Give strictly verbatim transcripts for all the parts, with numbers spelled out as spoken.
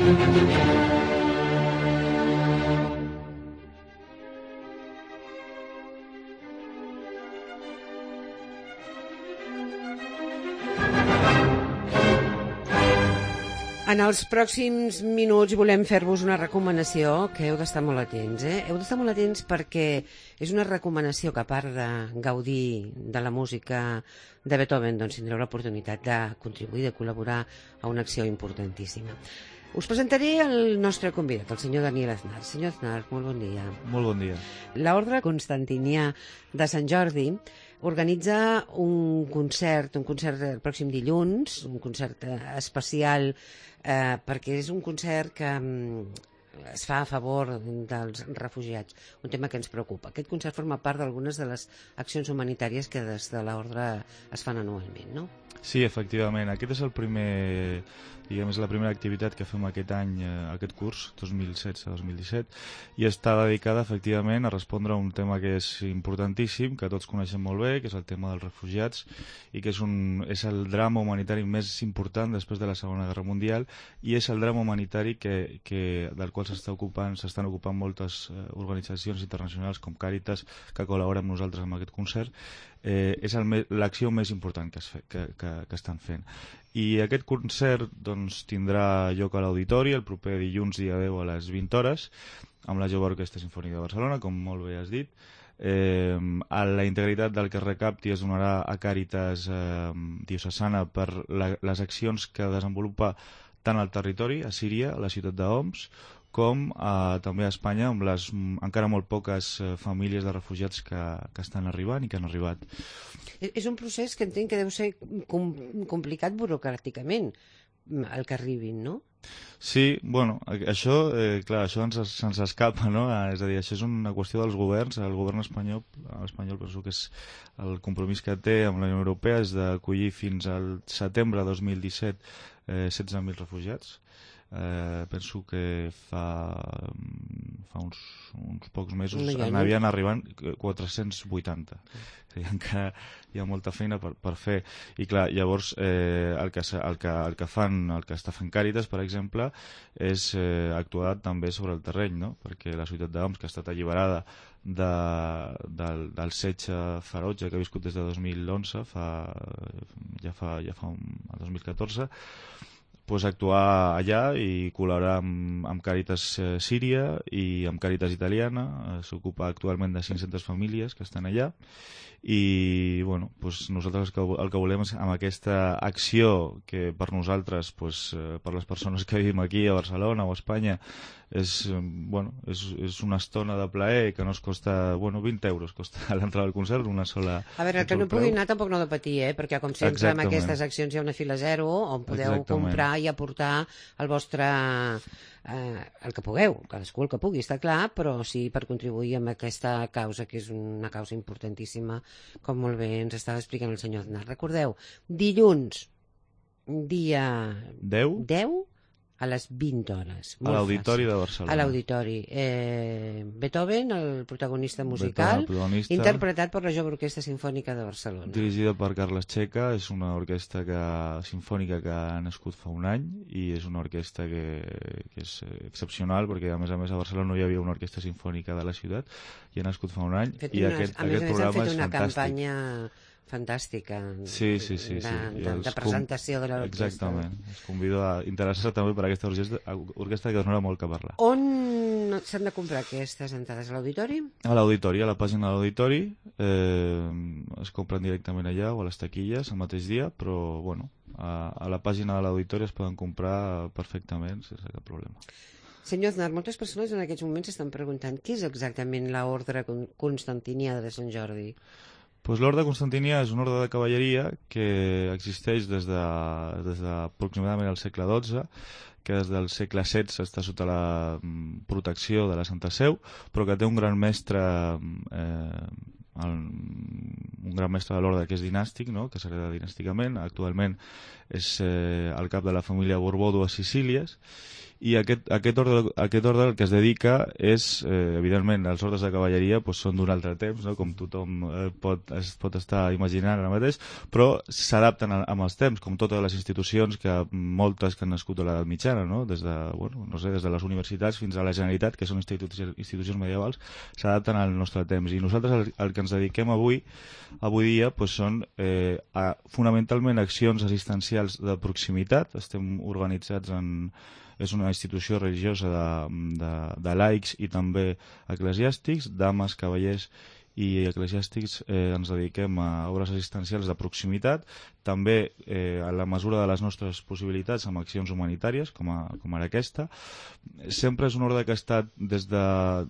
En els pròxims minuts volem fer-vos una recomanació que heu d'estar molt atents. Eh? Heu d'estar molt atents perquè és una recomanació que, a part de gaudir de la música de Beethoven, doncs tindreu l'oportunitat de contribuir, de col·laborar a una acció importantíssima. Us presentaré el nostre convidat, el senyor Daniel Aznar. Senyor Aznar, molt bon dia. Molt bon dia. L'Ordre Constantinià de Sant Jordi organitza un concert, un concert el pròxim dilluns, un concert especial, eh, perquè és un concert que mm, es fa a favor dels refugiats, un tema que ens preocupa. Aquest concert forma part d'algunes de les accions humanitàries que des de l'Ordre es fan anualment, no? Sí, efectivament. Aquest és el primer, diguem, és la primera activitat que fem aquest any, eh, aquest curs, dos mil setze dos mil disset, i està dedicada, efectivament, a respondre a un tema que és importantíssim, que tots coneixem molt bé, que és el tema dels refugiats, i que és, un, és el drama humanitari més important després de la Segona Guerra Mundial, i és el drama humanitari que, que, del qual s'està ocupant, s'estan ocupant moltes eh, organitzacions internacionals com Càritas, que col·laboren amb nosaltres en aquest concert. Eh, és l'acció més important que, es fe, que, que, que estan fent. I aquest concert doncs, tindrà lloc a l'Auditori el proper dilluns dia deu a les vint hores amb la Jove Orquestra Simfònica de Barcelona, com molt bé has dit. Eh, a la integritat del que es recapti es donarà a Càritas eh, diocesana per la, les accions que desenvolupa tant al territori, a Síria, a la ciutat d'Homs, com eh, també a Espanya, amb les encara molt poques eh, famílies de refugiats que, que estan arribant i que han arribat. És un procés que entenc que deu ser com, complicat burocràticament, el que arribin, no? Sí, bueno, això, eh, clar, això ens, se'ns escapa, no? És a dir, això és una qüestió dels governs. El govern espanyol, l'espanyol penso que és el compromís que té amb la Unió Europea és d'acollir fins al setembre de dos mil disset eh, setze mil refugiats. Eh, penso que fa, fa uns, uns pocs mesos no n'havien arribant quatre-cents vuitanta. O sigui, encara hi ha molta feina per, per fer. I clar, llavors eh, el, que, el, que, el que fan, el que està fent Càritas, per exemple, és eh, actuar també sobre el terreny, no? Perquè la ciutat d'Homs, que ha estat alliberada de, del, del setge ferotge que ha viscut des de dos mil onze, fa, ja fa, ja fa un, el dos mil catorze, pues actuar allà i col·laborar amb, amb Càritas eh, Síria i amb Càritas Italiana. Eh, s'ocupa actualment de cinc-centes famílies que estan allà i bueno, pues nosaltres el que, el que volem és amb aquesta acció que per nosaltres, pues, eh, per les persones que vivim aquí a Barcelona o a Espanya, és, bueno, és, és una estona de plaer que no es costa, bueno, vint euros costa l'entrada al concert, una sola... A veure, el que no pugui anar tampoc no ha de patir, eh? Perquè com sempre Exactament. Amb aquestes accions hi ha una fila zero on podeu Exactament. Comprar i aportar el vostre... Eh, el que pugueu, cadascú el que pugui, està clar, però sí per contribuir amb aquesta causa, que és una causa importantíssima, com molt bé ens estava explicant el senyor Aznar. Recordeu, dilluns, dia deu a les vint hores. A l'Auditori de Barcelona. A l'Auditori. Eh, Beethoven, el protagonista musical, Beethoven, el protagonista, interpretat per la Jove Orquestra Simfònica de Barcelona. Dirigida per Carles Checa, és una orquestra que, simfònica que ha nascut fa un any i és una orquestra que, que és excepcional perquè a més a més a Barcelona no hi havia una orquestra simfònica de la ciutat i ha nascut fa un any fet i unes, aquest, a més aquest a més programa han fet és una fantàstic. Campanya fantàstica sí, sí, sí, de, sí. de, de presentació de l'orquestra. Exactament. Es convido a interessar-se també per aquesta orquestra, orquestra que donarà molt que parlar. On s'han de comprar aquestes entrades? A l'Auditori? A l'Auditori, a la pàgina de l'Auditori. Eh, es compren directament allà o a les taquilles el mateix dia, però bueno, a, a la pàgina de l'Auditori es poden comprar perfectament sense cap problema. Senyor Aznar, moltes persones en aquests moments s'estan preguntant què és exactament l'Ordre Constantinià de Sant Jordi? Pues l'Orde Constantinià és un orde de cavalleria que existeix des de, des de aproximadament el segle dotze, que des del segle setze està sota la protecció de la Santa Seu, però que té un gran mestre, eh, el, un gran mestre de l'orde que és dinàstic, no? Que s'hereda dinàsticament. Actualment és eh, el cap de la família Borbó dues Sicílies i aquest, aquest, ordre, aquest ordre el que es dedica és, eh, evidentment, els ordres de cavalleria pues, són d'un altre temps, no? Com tothom eh, pot, es pot estar imaginant ara mateix, però s'adapten amb els temps, com totes les institucions, que moltes que han nascut a l'edat mitjana, no? Des de, bueno, no sé, des de les universitats fins a la Generalitat, que són institucions, institucions medievals, s'adapten al nostre temps. I nosaltres el, el que ens dediquem avui, avui dia pues, són eh, a, fonamentalment accions assistencials de proximitat. Estem organitzats en... És una institució religiosa de, de, de laics i també eclesiàstics, dames, cavallers i eclesiàstics. Eh, ens dediquem a obres assistencials de proximitat, també eh, a la mesura de les nostres possibilitats amb accions humanitàries, com, a, com ara aquesta. Sempre és un ordre que ha estat des de,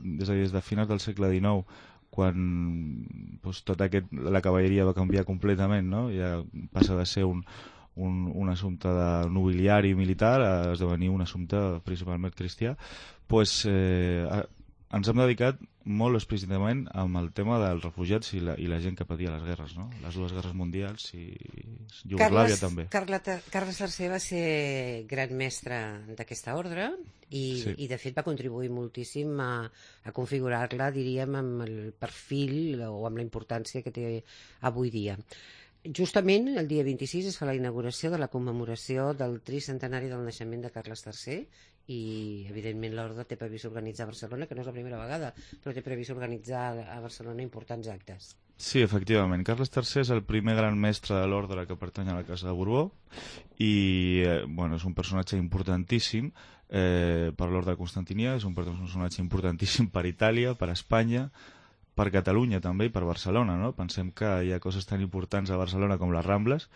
des de, des de finals del segle dinou, quan doncs, tot aquest, la cavalleria va canviar completament, no? Ja passa de ser un Un, un assumpte de nobiliari militar a esdevenir un assumpte principalment cristià, pues, eh, a, ens hem dedicat molt explícitament amb el tema dels refugiats i la, i la gent que patia les guerres, no? Les dues guerres mundials i Iugoslàvia també. Carles, Carles tercer va ser gran mestre d'aquesta ordre i, sí. i de fet va contribuir moltíssim a, a configurar-la, diríem, amb el perfil o amb la importància que té avui dia. Justament el dia vint-i-sis es fa la inauguració de la commemoració del tricentenari del naixement de Carles tercer i evidentment l'ordre té previst organitzar a Barcelona, que no és la primera vegada, però té previst organitzar a Barcelona importants actes. Sí, efectivament. Carles tercer és el primer gran mestre de l'ordre que pertany a la Casa de Borbó i eh, bueno, és un personatge importantíssim eh, per l'ordre constantinià, és un personatge importantíssim per Itàlia, per Espanya, per Catalunya també i per Barcelona, no? Pensem que hi ha coses tan importants a Barcelona com les Rambles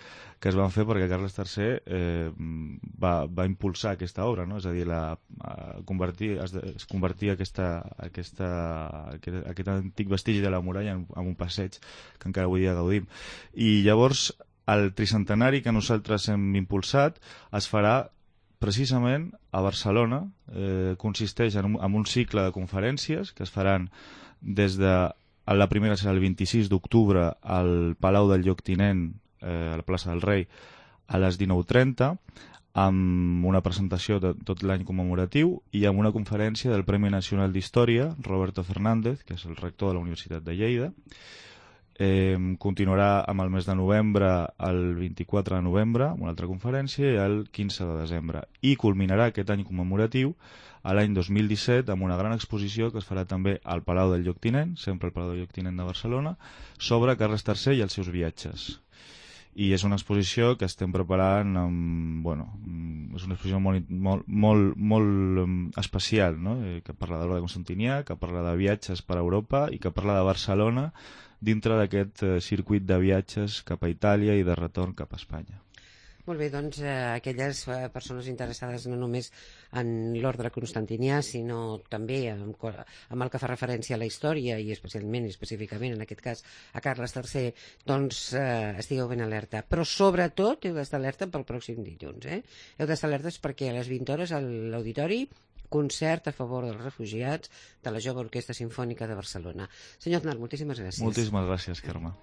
que es van fer perquè Carles tercer eh, va, va impulsar aquesta obra, no? És a dir, la, a convertir, es, es convertia aquesta, aquesta, aquest, aquest antic vestigi de la muralla en, en un passeig que encara avui dia gaudim. I llavors el tricentenari que nosaltres hem impulsat es farà precisament a Barcelona, eh, consisteix en un, en un cicle de conferències que es faran des de la primera serà el vint-i-sis d'octubre al Palau del Lloctinent, eh, a la plaça del Rei, a les dinou trenta, amb una presentació de tot l'any commemoratiu i amb una conferència del Premi Nacional d'Història, Roberto Fernández, que és el rector de la Universitat de Lleida. Eh, continuarà amb el mes de novembre, el vint-i-quatre de novembre, amb una altra conferència, i el quinze de desembre. I culminarà aquest any commemoratiu a l'any dos mil disset amb una gran exposició que es farà també al Palau del Lloctinent, sempre al Palau del Lloctinent de Barcelona, sobre Carles tercer i els seus viatges. I és una exposició que estem preparant amb, bueno, és una exposició molt, molt, molt, molt especial, no? Que parla de l'ordre constantinià, que parla de viatges per Europa i que parla de Barcelona dintre d'aquest circuit de viatges cap a Itàlia i de retorn cap a Espanya. Molt bé, doncs eh, aquelles eh, persones interessades no només en l'ordre constantinià, sinó també amb, amb el que fa referència a la història i especialment i específicament en aquest cas a Carles tercer, doncs eh, estigueu ben alerta. Però sobretot heu d'estar alerta pel pròxim dilluns. Eh? Heu d'estar alertes perquè a les vint hores a l'auditori concert a favor dels refugiats de la Jove Orquestra Simfònica de Barcelona. Senyor Aznar, moltíssimes gràcies. Moltíssimes gràcies, Carme.